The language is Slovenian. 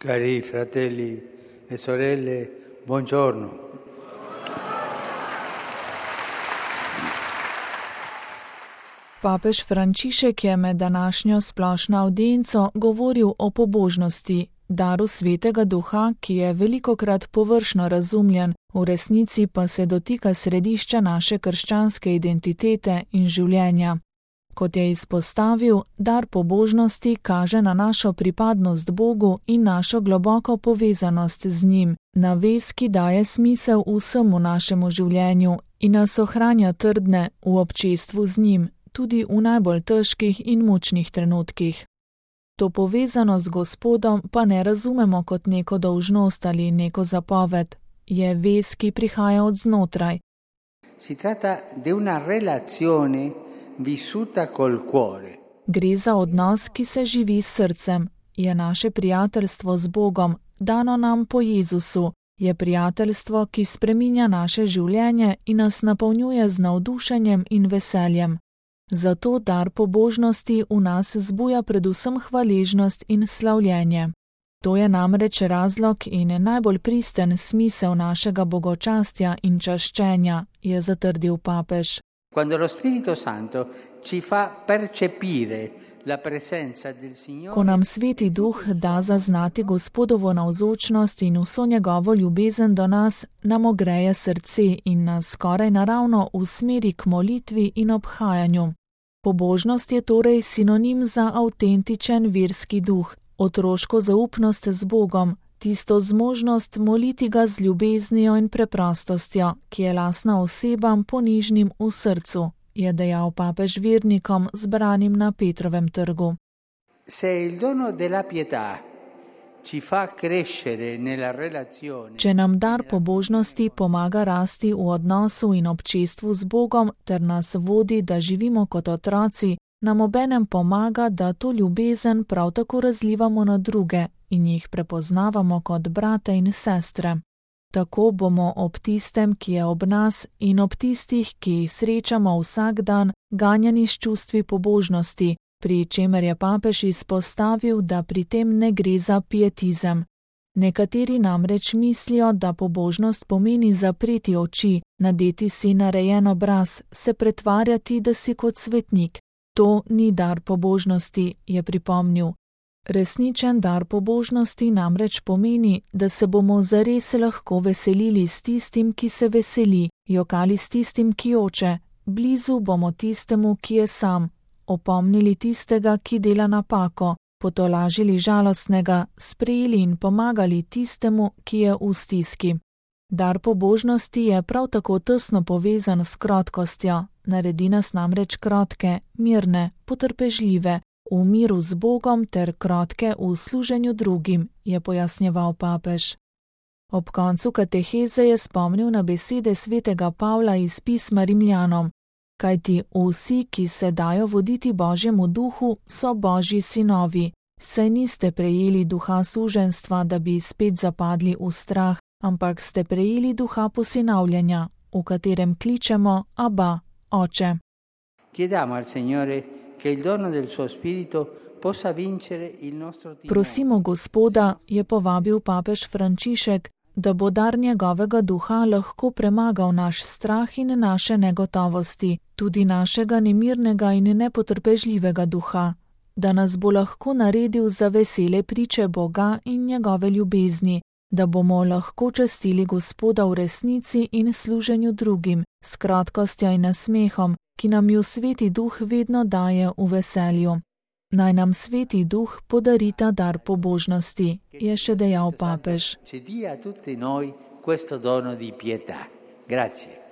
Cari fratelli e sorelle, buongiorno. Papež Frančišek je med današnjo splošno avdienco govoril o pobožnosti, daru Svetega Duha, ki je velikokrat površno razumljen, v resnici pa se dotika središča naše krščanske identitete in življenja. Kot je izpostavil, dar pobožnosti kaže na našo pripadnost Bogu in našo globoko povezanost z njim, na vez, ki daje smisel vsemu našemu življenju in nas ohranja trdne v občestvu z njim, tudi v najbolj težkih in mučnih trenutkih. To povezanost z Gospodom pa ne razumemo kot neko dolžnost ali neko zapoved, je vez, ki prihaja od znotraj. Si tratta di una relazione vissuta col cuore. Gre za odnos, ki se živi s srcem, je naše prijateljstvo z Bogom, dano nam po Jezusu, je prijateljstvo, ki spreminja naše življenje in nas napolnjuje z navdušenjem in veseljem. Zato dar pobožnosti v nas zbuja predvsem hvaležnost in slavljenje. To je namreč razlog in najbolj pristen smisel našega bogočastja in čaščenja, je zatrdil papež. Quando lo Spirito Santo ci fa percepire la presenza del Signore. Ko nam Sveti Duh da zaznati Gospodovo navzočnost in vso njegovo ljubezen do nas, nam ogreje srce in nas skoraj naravno usmeri k molitvi in obhajanju. Pobožnost je torej sinonim za avtentičen verski duh, otroško zaupnost z Bogom, tisto zmožnost moliti ga z ljubeznijo in preprostostjo, ki je lastna osebam ponižnim v srcu, je dejal papež vernikom zbranim na Petrovem trgu. Se il dono della pietà ci fa crescere nella relazione. Če nam dar pobožnosti pomaga rasti v odnosu in občestvu z Bogom ter nas vodi, da živimo kot otroci, nam obenem pomaga, da to ljubezen prav tako razlivamo na druge in jih prepoznavamo kot brate in sestre. Tako bomo ob tistem, ki je ob nas, in ob tistih, ki jih srečamo vsak dan, ganjani s čustvi pobožnosti, pri čemer je papež izpostavil, da pri tem ne gre za pietizem. Nekateri namreč mislijo, da pobožnost pomeni zapreti oči, nadeti si narejen obraz, se pretvarjati, da si kot svetnik. To ni dar pobožnosti, je pripomnil. Resničen dar pobožnosti namreč pomeni, da se bomo zares lahko veselili s tistim, ki se veseli, jokali s tistim, ki joče, blizu bomo tistemu, ki je sam, opomnili tistega, ki dela napako, potolažili žalostnega, sprejeli in pomagali tistemu, ki je v stiski. Dar pobožnosti je prav tako tesno povezan s krotkostjo, naredi nas namreč krotke, mirne, potrpežljive, v miru z Bogom ter krotke v služenju drugim, je pojasnjeval papež. Ob koncu kateheze je spomnil na besede svetega Pavla iz pisma Rimljanom, kajti vsi, ki se dajo voditi Božjemu duhu, so Božji sinovi, saj niste prejeli duha suženjstva, da bi spet zapadli v strah, ampak ste prejeli duha posinavljanja, v katerem kličemo Abba, Oče. Chiediamo al Signore che il dono del suo spirito possa vincere il nostro timore. Prosimo Gospoda, je povabil papež Frančišek, da bo dar njegovega duha lahko premagal naš strah in naše negotovosti, tudi našega nemirnega in nepotrpežljivega duha, da nas bo lahko naredil za vesele priče Boga in njegove ljubezni, da bomo lahko častili Gospoda v resnici in služenju drugim, s krotkostjo in nasmehom, ki nam ju Sveti Duh vedno daje v veselju. Naj nam Sveti Duh podari ta dar pobožnosti, je še dejal papež. Ci dia a tutti noi questo dono di pietà. Grazie.